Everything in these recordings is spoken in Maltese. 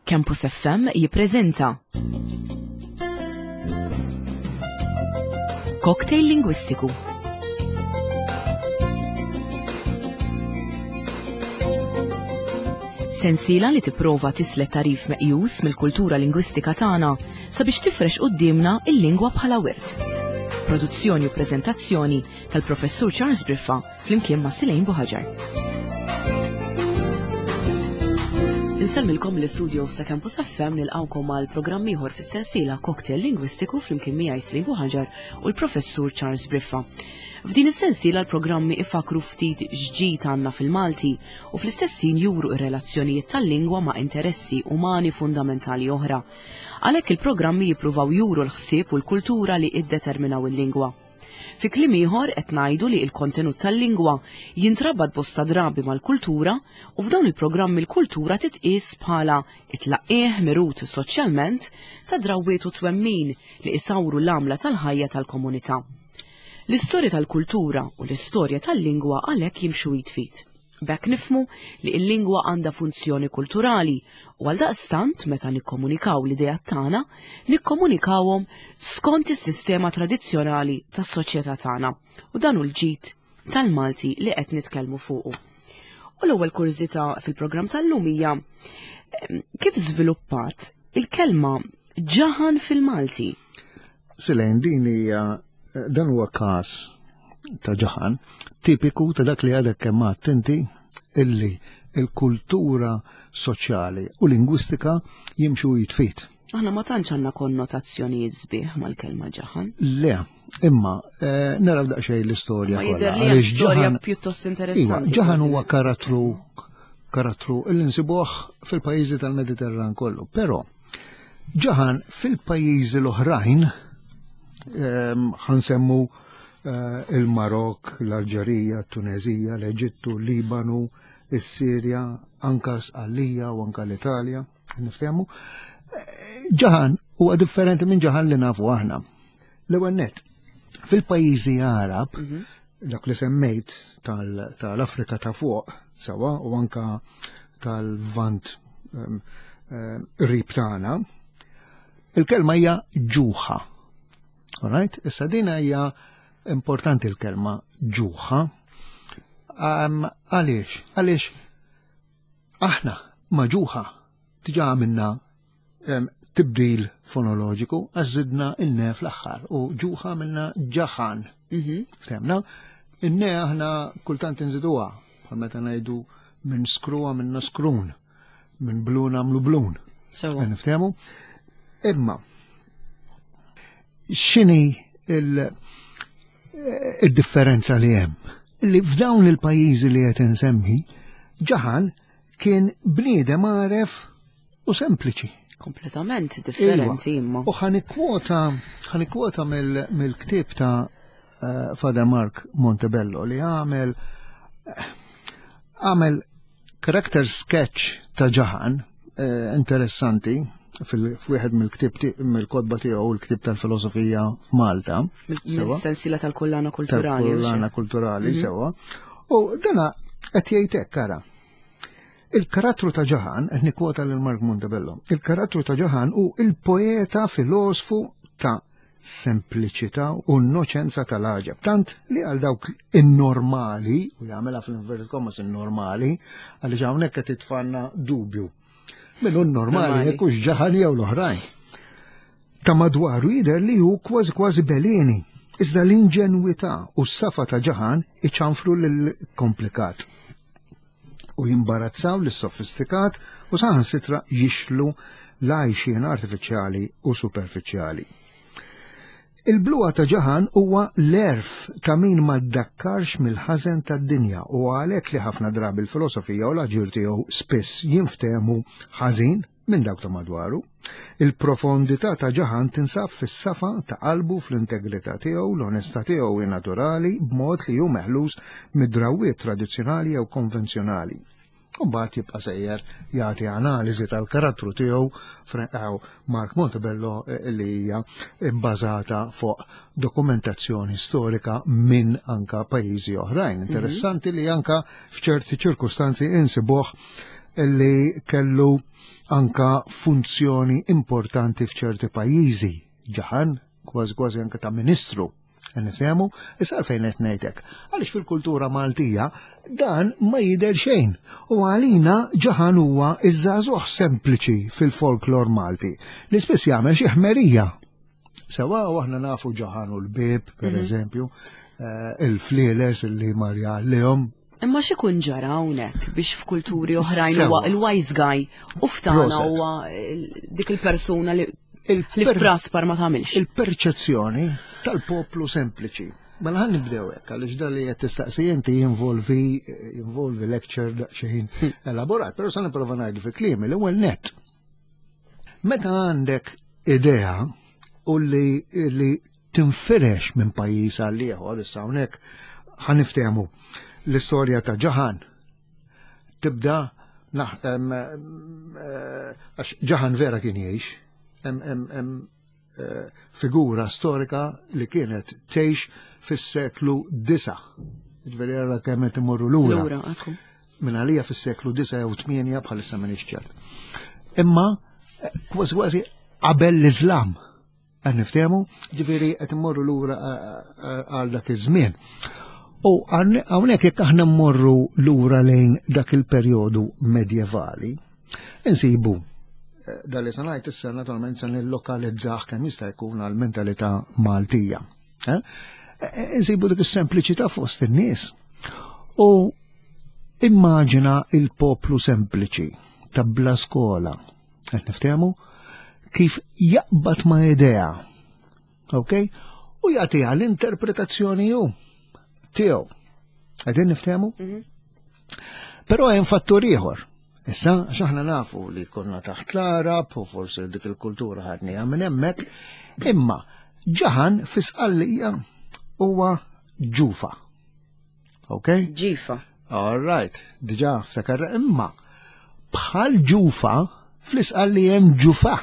Campus FM jippreżenta Cocktail Lingwistiku. Sensiela li tipprova tislet tarif meqjus mill-kultura lingwistika tagħna sabiex tifrex quddiemna il-lingwa bħala wirt. Produzzjoni u preżentazzjoni tal-Professur Charles Briffa flimkien ma' Silejn Buħaġar. Insellmilkom l-istudio sa' Campus FM nilqawkom għal programm ieħor fis-sensiela Cocktail Lingwistiku flimkien miegħi Silejn Buħaġar u l-Professur Charles Briffa. F'din is-sensiela l-programmi ifakru ftit x'ġid għandna fil-Malti u fl-istess ħin juru ir-relazzjonijiet tal-lingwa ma' interessi umani fundamentali oħra. Għalhekk il-programmi jippruvaw juru l-ħsieb u l-kultura li iddeterminaw il-lingwa. Fi kliem ieħor qed ngħidu li l-kontenut tal-lingwa jintrabat bosta drabi mal-kultura u f'dawn il-programmi l-kultura titqies bħala it-tlaqqih mirut soċjalment ta' drawwiet u twemmin li isawru l-għamla tal-ħajja tal-komunità. L-istorja tal-kultura u l-istorja tal-lingwa għalhekk jimxu id f'id. B'hekk nifhmu li l-lingwa għandha funzjoni kulturali u għaldaqstant meta nikkomunikaw l-ideat tagħna, nikkomunikawhom skont is-sistema tradizzjonali tas-soċjetà tagħna u dan hu l-ġid tal-Malti li qed nitkellmu fuqu. U l-ewwel kurżità fil-programm tal-lum hija kif żviluppat il-kelma ġaħan fil-Malti? Silejn din hija dan huwa każ ta' ġaħan tipiku ta' dak li għadek kemm għadt inti illi il-kultura soċjali u lingwistika jimxu jitfit. Aħna ma tantx għandna konnotazzjonijiet sbieħ mal-kelma ġaħan. Le, imma eh, naraw daqsxejn l-istorja. Ma jidher li storja pjuttost iva, interessanti. Ġaħan huwa karattru karattru illi nsibuh fil-pajjiżi tal-Mediterran kollu, però Ġaħan fil-pajjiżi l-oħrajn ehm, ħansemmu eh, il-Marok, l-Alġerija, t-Tunezija, l-Eġittu, l-Libanu, is-Sirja, anka Sqallija u anka l-Italja, niftehmu. Eh, ġaħan huwa differenti minn ġaħan li nafu aħna. L-ewwel net, fil-pajjiżi Arab, mhm. dak li semmejt tal-Afrika ta' fuq sewa u anka tal-Vant ehm, ehm, qrib tagħna, il-kelma hija ġuħa. Alright? Issa din hija importanti l-kelma ġuħa. Ehm, għaliex? Għaliex aħna ma ġuħa diġà għamilna tibdil fonoloġiku għax żidna in-ne fl-aħħar u ġuħa għamilna ġaħan. Mhm. Ftemna? In-ne aħna kultant inżiduha bħal meta ngħidu minn skru għamilna skrun, minn blun għamlu blun. Sewa. Niftehmu? Imma x'inhi il-differenza li hemm? Li f'dawn il-pajjiżi li qed insemmi, ġaħan kien bniedem għaref u sempliċi. Kompletament differenti iva. imma. U ħanikwota ħanikwota mill-ktieb ta' eh, Father Mark Montebello li għamel eh, għamel character sketch ta' ġaħan eh, interessanti fil-wieħed mill-ktieb mill-kotba tiegħu l-ktieb tal-filosofija f'Malta. Mill-sensiela tal-kullana kulturali. Tal-kullana kulturali mhm. sewa. U dana qed jgħid hekk ara. Il-karattru ta' Ġaħan, qed nikkwota lil Mark Montebello, il-karattru ta' Ġaħan hu il-poeta filosfu ta' sempliċità u innoċenza tal-għaġeb. Tant li għal dawk in-normali, u jagħmilha fl-inverted commas in-normali, għaliex hawnhekk qed titfanna dubju. Min hu normali jekk hux ġaħan jew l-oħrajn. Ta' madwaru jidher li hu kważi kważi belini. Iżda l-inġenwità u s-safa ta' ġaħan iċanfru lill-komplikat u jimbarazzaw lis-sofistikat u saħansitra jixlu l-għajxien artifiċjali u superfiċjali. Il-bluha ta' ġaħan huwa l-għerf ta' min ma ddakkarx mill-ħażen tad-dinja u għalhekk li ħafna drabi l-filosofija u l-aġir tiegħu spiss jinftehmu ħażin minn dawk ta' madwaru. Il-profondità ta' Ġaħan tinsab fis-safa ta' qalbu, fl-integrità tiegħu, l-onestà tiegħu hi naturali b'mod li hu meħlus mid-drawwiet tradizzjonali jew konvenzjonali. U mbagħad jibqa' sejjer jagħti analiżi tal-karattru tiegħu Mark Montebello eh, li hija bbażata fuq dokumentazzjoni storika minn anka pajjiżi oħrajn. Mhm. Interessanti li anka f'ċerti ċirkustanzi insibuh. li kellu anka funzjoni importanti f'ċerti pajjiżi. Ġaħan, kważi kważi anka ta' ministru. Nifhemu, issa għalfejn qed ngħidlek. Għaliex fil-kultura Maltija dan ma jidher xejn. U għalina ġaħan huwa iż-żagħżugħ sempliċi fil-folklor Malti li spiss jagħmel xi ħmerija. Sewa u aħna nafu ġaħan u l-bib, per mhm. eżempju, eh, il-flieles li marja lehom Imma x'ikun ġara hawnhekk biex f'kulturi oħrajn huwa il-wise guy u ftana huwa dik il-persuna li li praspar ma tagħmilx. Il-perċezzjoni tal-poplu sempliċi. Mela ħan nibdew hekk għaliex dan li qed tistaqsi inti jinvolvi jinvolvi lecture daqsxejn elaborat, però se nipprova ngħidu fi kliemi l-ewwel net. Meta għandek idea u li, li tinfirex minn pajjiż għal ieħor issa hawnhekk ħa niftehmu l-istorja ta' Ġaħan tibda eh, għax Ġaħan vera kien jgħix hemm eh, figura storika li kienet tgħix fis-seklu 9. Ġifieri ara kemm qed imorru lura. Minn għalija fis-seklu 9 jew 8 bħalissa m'iniex ċert. Imma eh, kważi kważi qabel l-Iżlam. Qed niftehmu, ġifieri qed immorru lura għal dak iż-żmien. U hawnhekk jekk aħna mmorru lura lejn dak il-perjodu medjevali, insibu eh, dal li sanajt issa naturalment se nillokalizzah kemm jista' jkun għal mentalità Maltija. Eh? Eh, insibu dik is-sempliċità fost in-nies. U immaġina il-poplu sempliċi ta' bla skola, Qed niftehmu kif jaqbad ma' idea. Ok? U jagħtiha l-interpretazzjoni hu tiegħu. Qegħdin niftehmu? Mhm. Però hemm fattur ieħor. Issa, x'aħna nafu li konna taħt l-Arab u forsi dik il-kultura ħadniha minn hemmhekk, imma ġaħan fi sqallija huwa ġufa. Ok? Ġifa. All right, diġa ftakar imma bħal ġufa fl-isqal li hemm ġufa.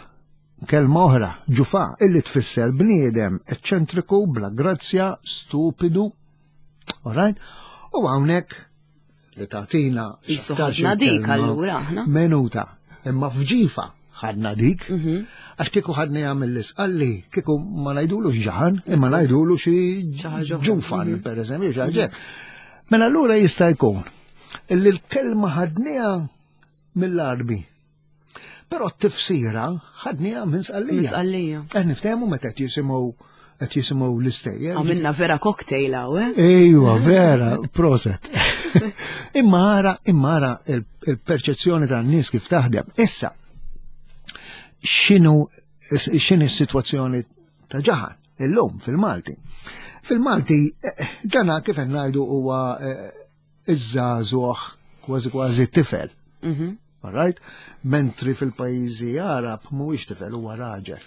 Kelma oħra, ġufa, illi tfisser bniedem eċċentriku, bla grazzja, stupidu. All right? U hawnhekk li tagħtina Isu ħadna dik allura aħna. Minuta. Imma f'ġifa ħadna dik. Mhm. Għax kieku ħadna jagħmel l-isqalli, kieku ma ngħidulu ġaħan, imma ngħidulu xi ġufan, mhm. per eżempju, xi ħaġa. Mela allura jista' jkun illi l-kelma ħadniha mill-Arbi. Però t-tifsira ħadniha minn sqallija. Minn sqallija. Qed niftehmu meta qed jisimgħu qed jisimgħu l-istejjer. Għamilna vera cocktail hawn, eh? Ejwa, vera, proset. Imma ara, imma ara il-perċezzjoni tan-nies kif taħdem. Issa, x'inhu x'inhi s-sitwazzjoni ta' ġaħan illum fil-Malti. Fil-Malti, eh, dana kif qed ngħidu huwa eh, iż-żagħżugħ kważi kważi tifel. Mhm. All right? Mentri fil-pajjiżi Arab mhuwiex tifel huwa raġel.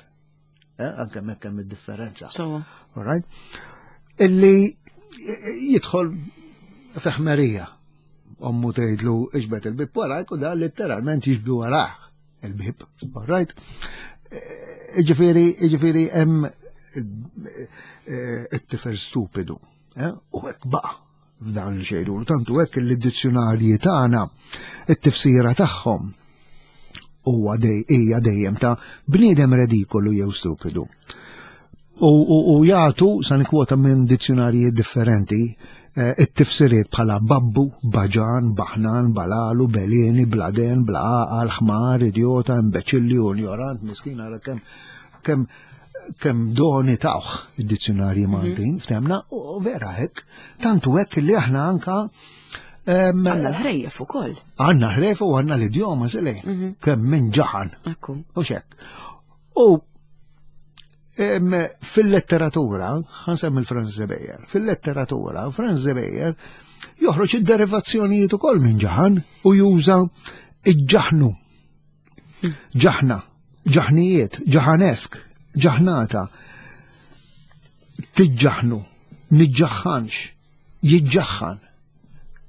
Eh, anke hemmhekk hemm id-differenza. All right? Illi jidħol feħmerija. Ommu tgħidlu iġbed il-bib warajk u da letteralment jiġbdu warah il-bib. All right? Eh, ġifieri, ġifieri hemm eh, it-tifel stupidu. U hekk baqa' f'dan li xejdu. Tantu hekk li d-dizzjonarji tagħna it-tifsira tagħhom huwa hija dejjem ta' bniedem redikolu jew stupidu. U, u, u jagħtu sa nikwota minn dizzjonarji differenti eh, it-tifsiriet bħala babbu, baġan, baħnan, balalu, belini, bladen, blaqal, ħmar, idjota, imbeċilli, unjorant, miskin, ara kemm kemm kemm doni tawh id-dizzjonarji mhm. Maltin, ftemna, u vera hekk, tantu hekk li aħna anka Għanna l-ħrejjef ukoll. Għanna ħrejjef u għanna l-idjoma zile, mhm. kemm minn ġaħan. U xek. U fil-letteratura, ħansem il-Franz Zebejer, fil-letteratura, Franz Zebejer joħroġ id-derivazzjonijiet ukoll minn ġaħan u juża iġ-ġaħnu Ġaħna, ġaħnijiet, ġaħanesk, ġaħnata, tiġġaħnu, niġġaħħanx, jiġġaħħan.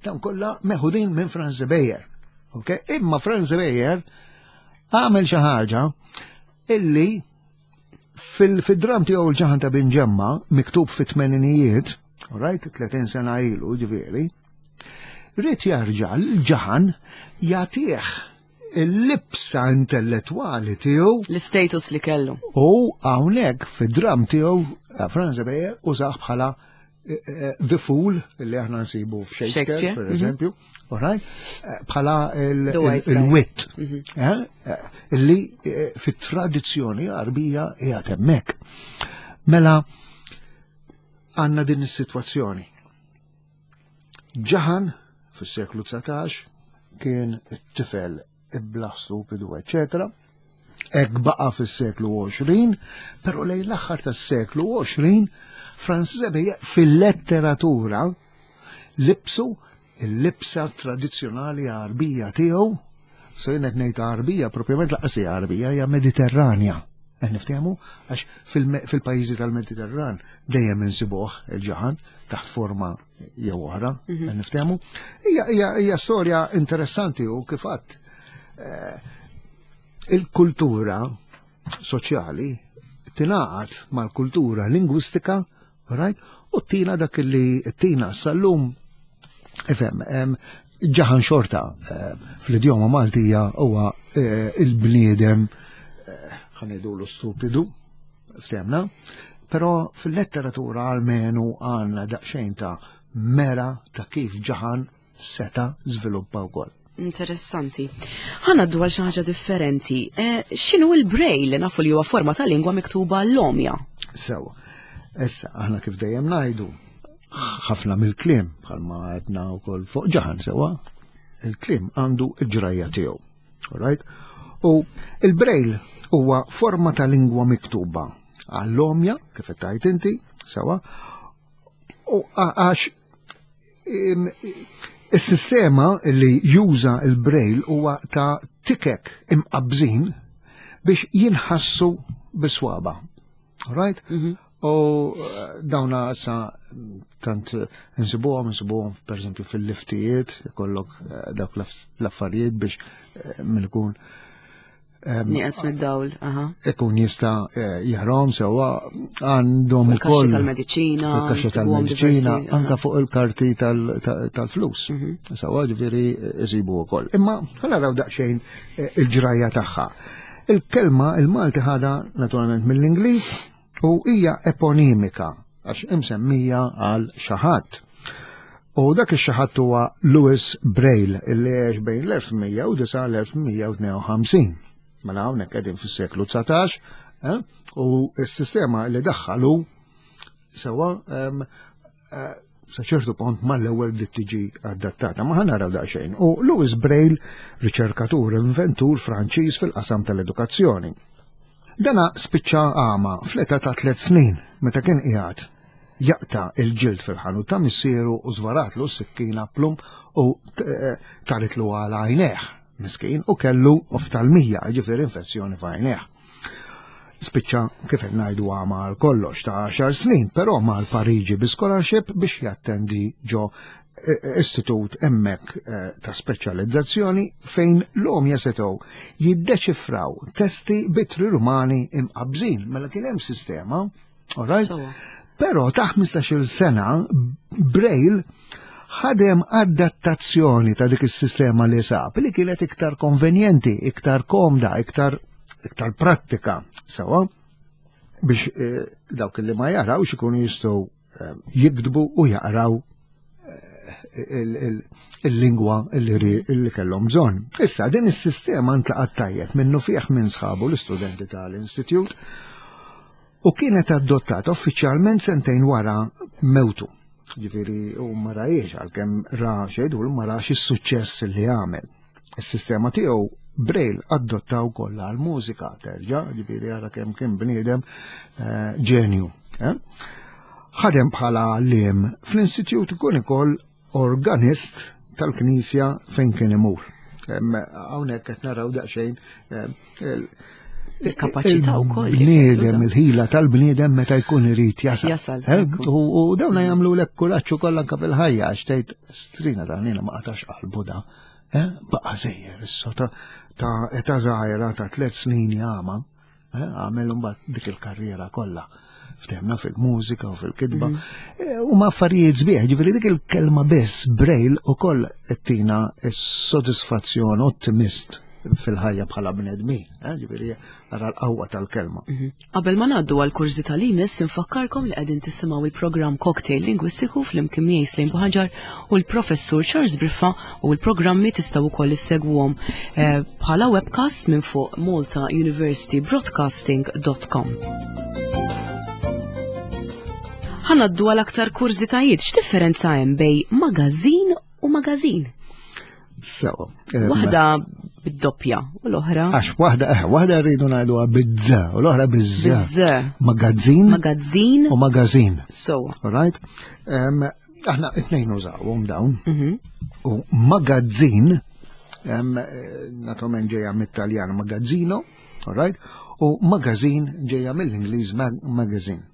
Dan kollha meħudin minn Franz Beyer. Okay? Imma Franz Beyer għamel xi ħaġa illi fil-dram tiegħu l-ġaħan ta' Binġemma, miktub fit-tmeninijiet, right, 30 sena ilu, ġifieri, Ried jarġa' l-ġaħan jagħtih il-libsa intellettwali tiegħu. L-istatus li kellu. U hawnhekk fid-dram tiegħu eh, Franz Beyer użah bħala eh, eh, The Fool li aħna nsibu f'Shakespeare, per mhm. eżempju, alright, bħala il-wit, mhm. li fit-tradizzjoni Għarbija qiegħed hemmhekk. Mela għandna din is-sitwazzjoni. Ġaħan, fis-seklu 19, kien it-tifel iblah stupidu, eċetera. Hekk baqa' fis-seklu 20, però lejn l-aħħar tas-seklu 20, Franz Xavier fil-letteratura libsu il-libsa tradizzjonali Għarbija tiegħu, so jien qed ngħid Għarbija, propjament laqas hija Għarbija, hija Mediterranja. Qed niftehmu għax fil-pajjiżi tal-Mediterran dejjem insibuh il-ġaħan taħt forma jew oħra, mhm. qed niftehmu. Hija storja interessanti u kif għadd eh, il-kultura soċjali tingħaqad mal-kultura lingwistika, right? U tina dak li tina sal-lum ifhem ġaħan xorta eh, fl-idjoma Maltija huwa eh, il-bniedem eh, ħanidulu stupidu, ftemna, però fil-letteratura almenu għandna daqsxejn ta' mera ta' kif ġaħan seta' żviluppa wkoll. Interessanti. Ħa ngħaddu għal xi ħaġa differenti. Eh, x'inhu l-braille li nafu li huwa forma ta' lingwa miktuba l-omja? Sewa. Issa, aħna kif dejjem ngħidu, ħafna mill-kliem bħalma għedna wkoll fuq ġaħan sewa, il-kliem għandu l-ġrajja tiegħu. Alright? U il-braille huwa forma ta' lingwa miktuba għall-omja, kif qed tgħid inti, sewa, u għax is-sistema li juża il-braille huwa ta' tikek imqabżin biex jinħassu biswaba. Right? Mhm. U eh, dawna sa tant nsibuhom, nsibuhom per eżempju fil-liftijiet, ikollok eh, dawk l-affarijiet biex eh, min ikun Nieqes mid-dawl, aha. Ikun jista' eh, jarom sewwa għandhom ukoll. tal-mediċina, fil-kaxxa tal-mediċina, anka fuq il-karti tal-flus. Mhm. Sewwa ġifieri isibu wkoll. Imma ħa naraw daqsxejn eh, il-ġrajja tagħha. Il-kelma il-Malti ħada naturalment mill-Ingliż u hija eponimika għax imsemmija għal xi ħadd. U dak ix-xi ħadd huwa Louis Braille illi għex bejn l-1109 l-1152. Mela hawnhekk qegħdin fis-seklu 19 eh? u s-sistema li daħħalu sewwa eh, sa ċertu punt mal-ewwel bdiet tiġi adattata. Ma ħa naraw daqsxejn. U Louis Braille, riċerkatur inventur Franċiż fil-qasam tal-edukazzjoni. Dana spiċċa għama fl-età ta' tliet snin meta kien qiegħed jaqta' il-ġild fil-ħanut ta' missieru u żvaratlu s-sikkina plum u eh, taritlu għal għajnejh miskin u kellu oftalmija, ġifieri infezzjoni f'għajnejh. Spiċċa kif qed ngħidu għama għal kollox ta' 10 snin, però mar Pariġi bi scholarship biex jattendi ġo istitut hemmhekk eh, ta' speċjalizzazzjoni fejn l-omja setgħu jiddeċifraw testi bitri rumani imqabżin. Mela kien hemm sistema, all right? Però ta' 15-il sena Braille ħadem adattazzjoni ta' dik is-sistema li sab li kienet iktar konvenjenti, iktar komda, iktar iktar prattika, sewa biex eh, dawk li ma jarawx ikunu jistgħu eh, jiktbu u jaqraw eh, il-lingwa li kellhom bżonn. Issa din is-sistema ntlaqat tajjeb minnu fih minn sħabu l-istudenti tal-Institute u kienet adottata uffiċjalment sentejn wara mewtu. Ġifieri u ma rajiex għalkemm ra xejdu ma rax is-suċċess li għamel. Is-sistema tiegħu Braille adottaw kollha għal-mużika terġa', ġifieri ara kemm kien bniedem eh, ġenju. Eh? Ħadem bħala għalliem fl-istitut ikun ukoll organist tal-knisja fejn kien imur. Hawnhekk qed naraw daqsxejn eh, il-kapaċità wkoll. Bniedem, il-ħila tal-bniedem meta jkun irid jasal. Jasal. Eh, u dawna jagħmlu lek kuraġġ ukoll anke fil-ħajja għax tgħid strina dan jiena ma qatax qalbu da. Eh, baqa' sejjer issa ta' ta' età żgħira ta' tliet snin jagħma, eh, għamel imbagħad dik il-karriera kollha. Ftehmna fil-mużika u fil-kitba. Mhm. U ma affarijiet sbieħ, ġifieri dik il-kelma biss Braille ukoll tina s-sodisfazzjon ottimist fil-ħajja bħala bnedmin, eh, ġifieri ara l-qawwa tal-kelma. Mhm. Qabel ma ngħaddu għal kurżità li jmiss infakkarkom li qegħdin tisimgħu il-programm Cocktail Lingwistiku flimkien miegħi Slim Buħaġar u l-Professur Charles Briffa u l-programmi tistgħu wkoll issegwuhom eh, bħala webcast minn fuq maltauniversitybroadcasting.com. Ħanaddu għal aktar kurżitajiet, x'differenza hemm bej magażin u magażin? Sewa. Waħda bid-doppja u l-oħra. Għax waħda, eh, waħda rridu ngħiduha biz u l-oħra biz. Magazzin. Magazzin. U magażin. So. All right? Aħna it-tnejn użawhom dawn. Mhm. U magazzin, naturalment ġejja mit-Taljan magazzino, all right? U magażin ġejja mill-Ingliż magazine.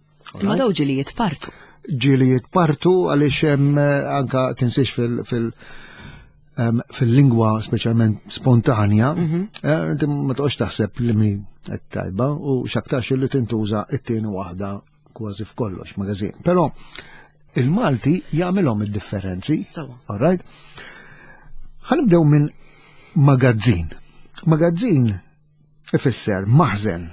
Ma daw ġili jitpartu. Ġili jitpartu għaliex hemm eh, anka tinsiex fil- fil- fil-lingwa speċjalment spontanja, mhm. eh, inti ma toqgħodx taħseb li mi qed tajba u x'aktarx li tintuża it-tieni waħda kważi f'kollox magażin. Però il-Malti jagħmilhom id-differenzi. All right? Ħanibdew minn magazzin. Magazzin ifisser maħżen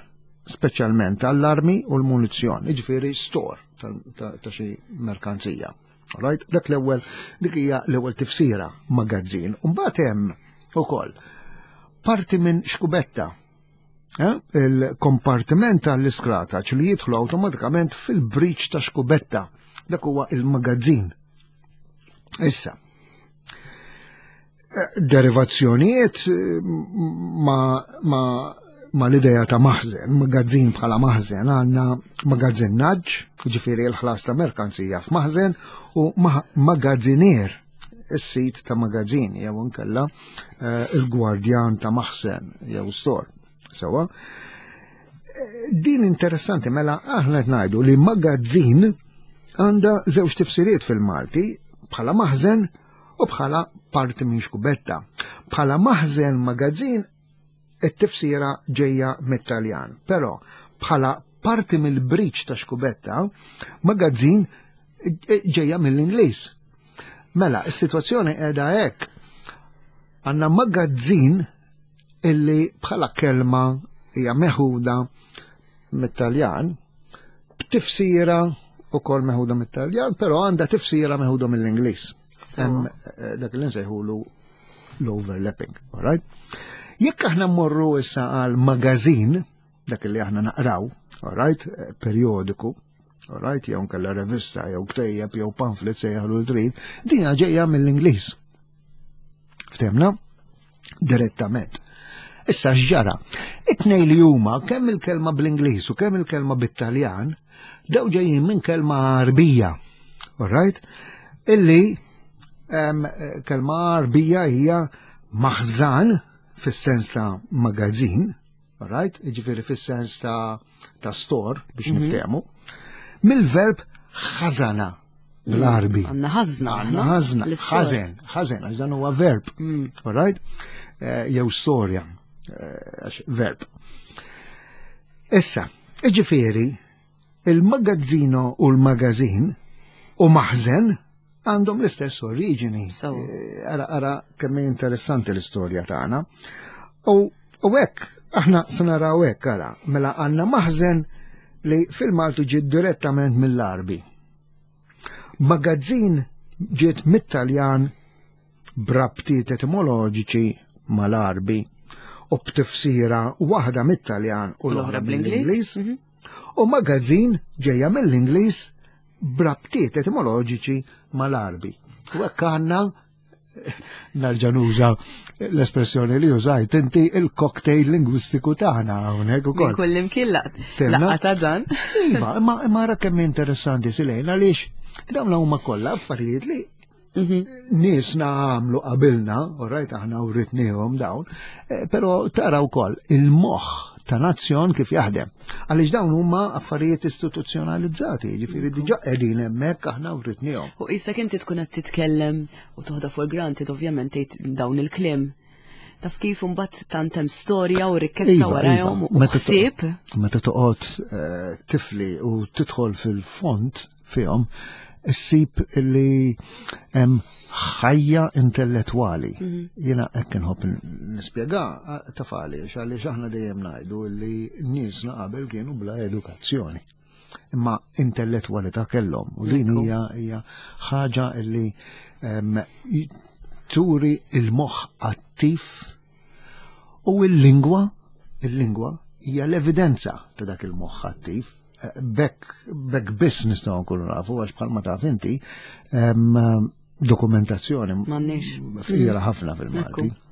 speċjalment għall-armi u l-munizzjon, jiġifieri store ta' xi merkanzija. Right? Dak l-ewwel dik hija l-ewwel tifsira magazzin. U mbagħad hemm ukoll parti minn xkubetta. Eh? Il-kompartiment tal-iskrataċ li jidħlu awtomatikament fil-briċ ta' xkubetta. Dak huwa il-magazzin. Issa, derivazzjonijiet eh, ma, ma, ma l-ideja ta' maħzen, magazzin bħala maħzen, għanna magazzinnaġġ, ġifiri l-ħlas ta' merkanzija f'maħzen, u magazzinier, is-sit ta' magazzin, jew nkella eh, il-gwardjan ta' maħzen, jew store. Sewa. Eh, din interessanti, mela aħna qed ngħidu li magazzin għandha żewġ tifsiriet fil-Malti bħala maħzen u bħala parti minn xkubetta. Bħala maħżen magazzin it-tifsira ġejja mit-Taljan, però bħala parti mill-briċ ta' xkubetta, magazzin ġejja mill-Ingliż. Mela, is-sitwazzjoni qiegħda hekk. Għandna magazzin illi bħala kelma hija meħuda mit-Taljan b'tifsira ukoll meħuda mit-Taljan, però għandha tifsira meħuda mill-Ingliż. Hemm eh, dak li nsejħulu l-overlapping, all right? Jekk aħna mmorru issa għal magazin, dak li aħna naqraw, all right, eh, periodiku, all right, jew nkella revista, jew ktejjeb, jew pamphlet sejjaħlu l-trid, dina ġejja mill-Ingliż. Ftemna? Direttament. Issa x'ġara? It-tnej li huma kemm il-kelma bl-Ingliż u kemm il-kelma bit-Taljan daw ġejjin minn kelma Arbija. All right? Illi kelma Arbija hija maħżan fis-sens ta' magazzin, right? Jiġifieri fis-sens ta' ta' store biex mm -hmm. niftehmu. Mill-verb ħażana bl-Arbi. Għandna ħażna. Għandna ħażna. Ħażen, ħażen, għax dan huwa verb. Mm. All right? Eh, jew storja, eh, għax verb. Issa, jiġifieri il-magazzino u l-magazin u maħżen għandhom l-istess oriġini. Eh, ara, ara kemm interessanti l-istorja tagħna. U hekk aħna se naraw hekk ara, mela għandna maħżen li fil-Malti ġiet direttament mill-Arbi. Magazzin ġiet mit-Taljan b'rabtiet etimoloġiċi mal-Arbi u b'tifsira waħda mit-Taljan u l-oħra bl-Ingliż. Mhm. U magazzin ġejja mill-Ingliż b'rabtiet etimoloġiċi mal-Arbi. U hekk għandna narġa' nuża l-espressjoni li użajt inti il-cocktail lingwistiku tagħna hawnhekk ukoll. Kull imkien laqgħa ta' dan. Iva, imma imma ara kemm interessanti silejn għaliex dawn huma kollha affarijiet li mhm. nisna għamlu qabilna, u rajt aħna uritnihom dawn, eh, però tara wkoll il-moħħ ta' nazzjon kif jaħdem. Għaliex dawn huma affarijiet istituzzjonalizzati, jiġifieri diġà qegħdin hemmhekk aħna writnihom. U qisek inti tkun qed titkellem u toħda for granted ovvjament tgħid dawn il-kliem. Taf kif imbagħad tant hemm storja u rikkezza Iva, warajhom iva. u Meta ħsieb. Meta toqgħod eh, tifli u tidħol fil-fond fihom, issib li hemm ħajja intellettwali. Jiena hekk inħobb nispjega eh, taf għaliex għaliex aħna dejjem ngħidu li niesna qabel kienu bla edukazzjoni. Imma intellettwalità kellhom u din Ekku. hija hija ħaġa li em, turi il-moħħ attiv u il-lingwa, il-lingwa hija l-evidenza ta' dak il-moħħ attiv. Eh, Bekk bekk biss nistgħu nkunu nafu għax bħalma taf inti em, dokumentazzjoni M'għandniex. fqira ħafna fil-Malti. Ekku.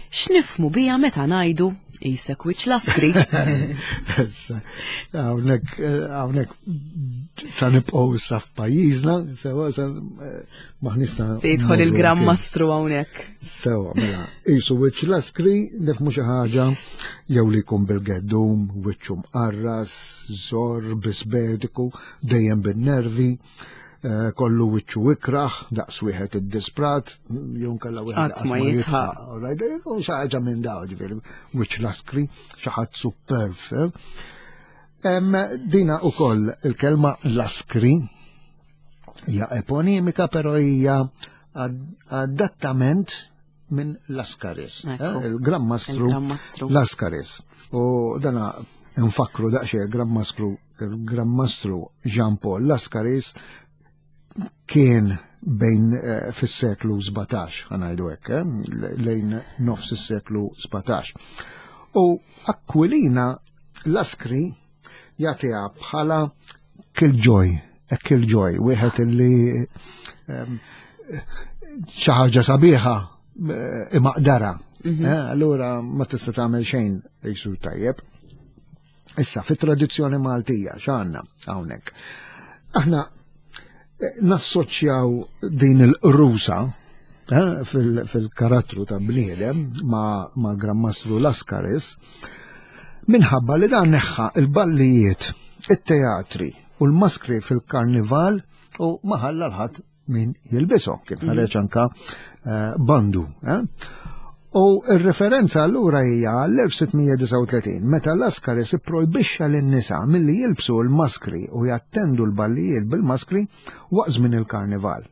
X'nifhmu biha meta ngħidu qisek wiċċ laskri. Issa, hawnhekk eh, hawnhekk sa nibqgħu issa f'pajjiżna, sewa sa eh, maħniex sa Se jidħol mmorru il-Gran mkien. Mastru hawnhekk. Sewa, mela, qisu wiċċ laskri, nifhmu xi ħaġa jew li jkun bil-geddum, wiċċu mqarras, żor, bisbetiku, dejjem bin-nervi, eh, kollu wiċċu ikraħ, daqs wieħed iddisprat, jew nkella wieħed Qatt ma jidħaq. All right, jkun xi ħaġa minn daw, ġifieri, wiċċ laskri, xi ħadd superb. eh. Em, Dina ukoll il-kelma laskri hija eponimika, però hija adattament minn Laskaris, Ekku. eh, il-Gran Mastru Il-Gran Mastru. Laskaris. U dana nfakru daqsxejn il-Gran Mastru, il-Gran Mastru Jean Paul Laskaris kien bejn eh, fis-seklu 17, ħa ngħidu hekk, eh, lejn nofs is-seklu 17. U Aquilina Laskri jagħtiha bħala killjoy, a killjoy, wieħed illi em, xi ħaġa sabiħa eh, imaqdara. Eh, Allura ma tista' tagħmel xejn jisu tajjeb. Issa, fit-tradizzjoni Maltija, x'għandna hawnhekk? Aħna eh, nassoċjaw din il-qrusa eh, fil- fil-karattru ta' bniedem ma', ma Gran Mastru Laskaris minħabba li dan neħħa il-ballijiet, it-teatri u l-maskri fil-karnival u ma ħalla l-ħadd min jilbishom. Kien ħareġ anka eh, bandu. Eh? U il-referenza allura hija l-1639 meta Laskaris ipprojbixxa lin-nisa milli jilbsu l-maskri u jattendu l-ballijiet bil-maskri waqt żmien il-karnival.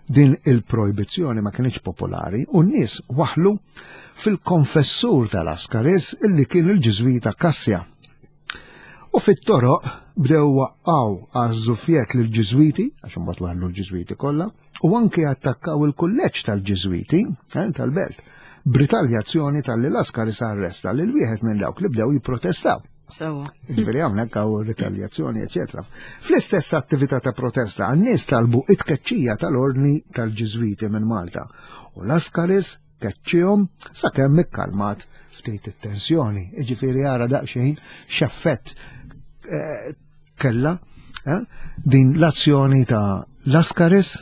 Din il-projbizzjoni ma kienx popolari u n-nies waħlu fil-konfessur tal-Laskaris illi kien il-Ġiżwita Kassja. U fit-toroq bdew waqqaw għaż-żufjet lill-Ġiżwiti, għax imbagħad waħlu l-Ġiżwiti kollha, u anke attakkaw il-kulleġġ tal-Ġiżwiti eh, tal-belt, b'ritaljazzjoni talli Laskaris arresta lil wieħed minn dawk li bdew jipprotestaw. Sewa. Ġifieri hawnhekk hawn ritaljazzjoni, eċetera. Fl-istess attività ta' protesta, n-nies talbu it-tkeċċija tal-ordni tal-Ġiżwiti minn Malta. U Laskaris keċċihom sakemm ikkalmat ftit it-tensjoni. Ġifieri ara daqsxejn x'effett eh, kella eh, din l-azzjoni ta' Laskaris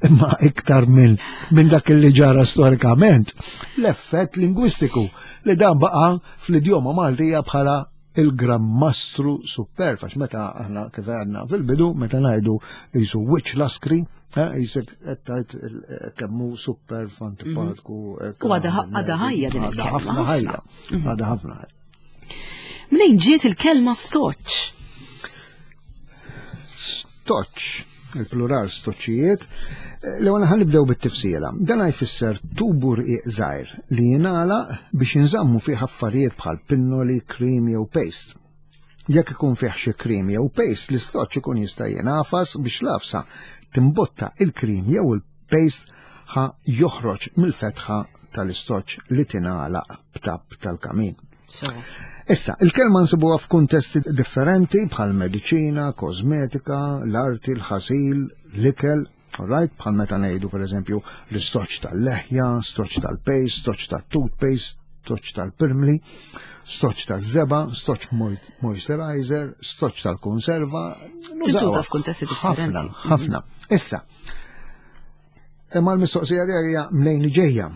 imma iktar minn min dak li ġara storikament l-effett lingwistiku li dan baqa fl-idjoma Maltija bħala il-Gran Mastru Superb, għax meta aħna kif għedna fil-bidu, meta ngħidu jisu wiċċ laskri, eh, jisek qed tgħid eh, kemm hu superb antipatku. eh, U għadha għadha ħajja din Għadha il-kelma, ħafna ħajja. Għadha ħafna ħajja. Mnejn ġiet il-kelma stoċ? Stoċ, il-plural stoċijiet, l-ewwel ħa nibdew bit-tifsira. Dan jfisser tubu rqiq żgħir li jingħalaq biex jinżammu fih affarijiet bħal pinnoli, krim jew paste. Jekk ikun fih xi krim jew paste, l-istoċ ikun jista' jingħafas biex l-għafsa timbotta il-krim jew il-paste ħa joħroġ mill-fetħa tal-istoċ li tingħalaq b'tapp tal-kamin. Sewa. Issa, il-kelma nsibuha f'kuntesti differenti bħal mediċina, kosmetika, l-arti, l-ħasil, l-ikel, alright, bħal meta ngħidu pereżempju l-istoċ tal-leħja, stoċ tal-paste, stoċ tal-toothpaste, stoċ tal-pirmli, stoċ tal-żebgħa, stoċ moisturizer, stoċ tal-konserva. Tintuża f'kuntesti differenti. Ħafna, ħafna. Issa, imma l-mistoqsija tiegħi hija mnejn ġejja.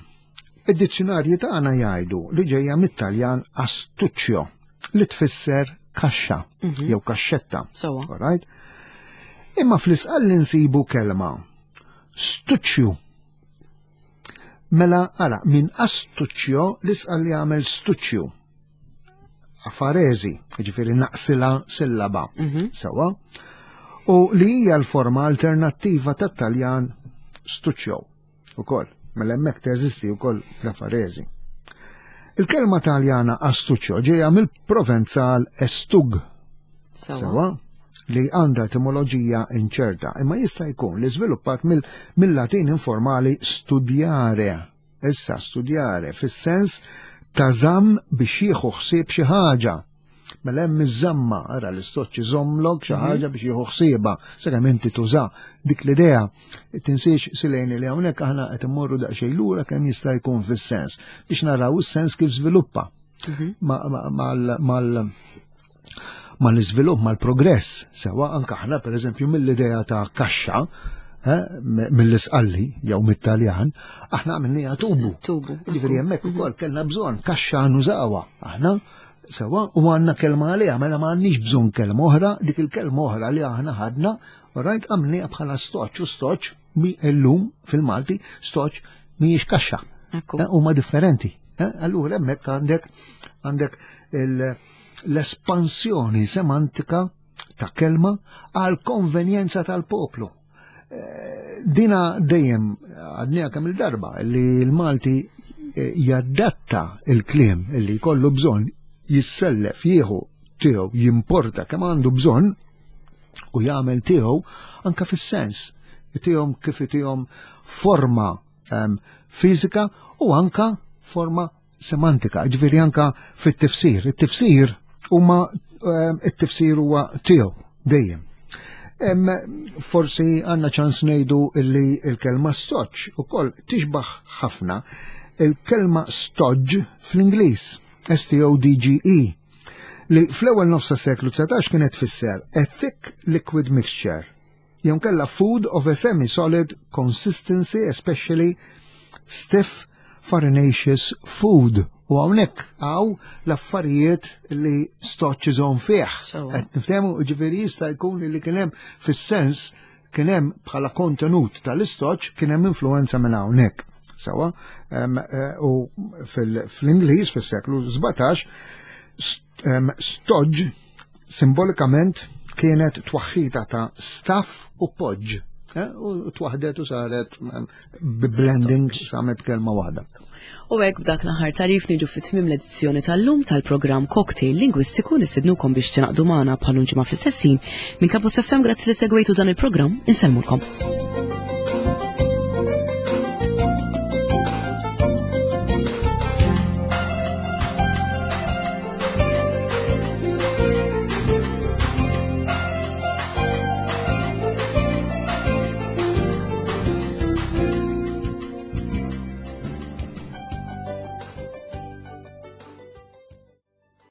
Id-dizzjonarji tagħna jgħidu li ġejja mit-Taljan astuccio li tfisser kaxxa jew kaxxetta. Sewa. Alright? Imma fl-Isqalli nsibu kelma stucciu. Mela, ara, minn astuccio l-isqal li għamel stuccio. Afarezi, ġifiri naqsila sillaba. Sewa. U li hija l-forma alternattiva tat-Taljan stuccio ukoll. Mela hemmhekk teżisti wkoll l-afarezi. Il-kelma Taljana astuccio ġejja mill-Provenzal estug. Sewa li għandha etimoloġija inċerta, imma jista' jkun li żviluppat mill-Latin informali studiare. Issa studiare fis-sens ta' żamm biex jieħu ħsieb xi ħaġa. Mela hemm iż-żamma, ara l-istoċċ iżommlok xi ħaġa biex jieħu ħsiebha, sakemm inti tuża dik l-idea. Tinsiex Sileni li hawnhekk aħna qed immorru daqsxejn lura kemm jista' jkun fis-sens biex naraw is-sens kif żviluppa mal mal-iżvilupp, mal-progress, sewa anke aħna pereżempju mill-idea ta' kaxxa, eh, mill-isqalli jew mit-Taljan, aħna għamilniha tubu. Tubu. Ġifieri hemmhekk ukoll kellna bżonn kaxxa nużawha aħna sewa u għandna kelma għaliha, mela ma għandniex bżonn kelma oħra, dik il-kelma oħra li aħna ħadna, rajt għamilniha bħala stoċ u stoċ mi illum fil-Malti stoċ mhijiex kaxxa. Eh, huma differenti. Eh, allura hemmhekk għandek għandek l-espansjoni semantika ta' kelma għal konvenjenza tal-poplu. Eh, dina dejjem għadnija kemm il-darba li l-Malti eh, jadatta il-kliem li jkollu bżonn jissellef jieħu tiegħu jimporta kemm għandu bżonn u jagħmel tiegħu anka fis-sens tihom kif itihom forma um, fiżika u anka forma semantika, ġifieri anka fit-tifsir. It-tifsir huma ehm, it-tifsir huwa tiegħu dejjem. Forsi għandna ċans ngħidu li l-kelma stoċ ukoll tixbaħ ħafna il-kelma stodge fl-Ingliż, S-T-O-D-G-E, li fl-ewwel nofsa seklu 19 kienet tfisser a thick liquid mixture jew kella food of a semi-solid consistency, especially stiff farinaceous food. U hawnhekk hawn l-affarijiet li stoċ iżomm fih. Qed niftehmu ġifieri jista' jkun li kien hemm fis-sens kien hemm bħala kontenut tal-istoċ kien hemm influenza minn hawnhekk. Sawa, eh, u fl-Ingliż fis-seklu 17 stoġ simbolikament kienet twaħħita ta' staff u poġġ. Eh, u twaħdet u saret blending samet kelma waħda. U hekk b'dak l-aħħar tarif niġu fit tmiem l-edizzjoni tal-lum tal-programm Cocktail Lingwistiku nistednukom biex tingħaqdu magħna bħal ġimgħa fl-istessin minn Campus FM grazzi li segwejtu dan il-programm insellmulkom.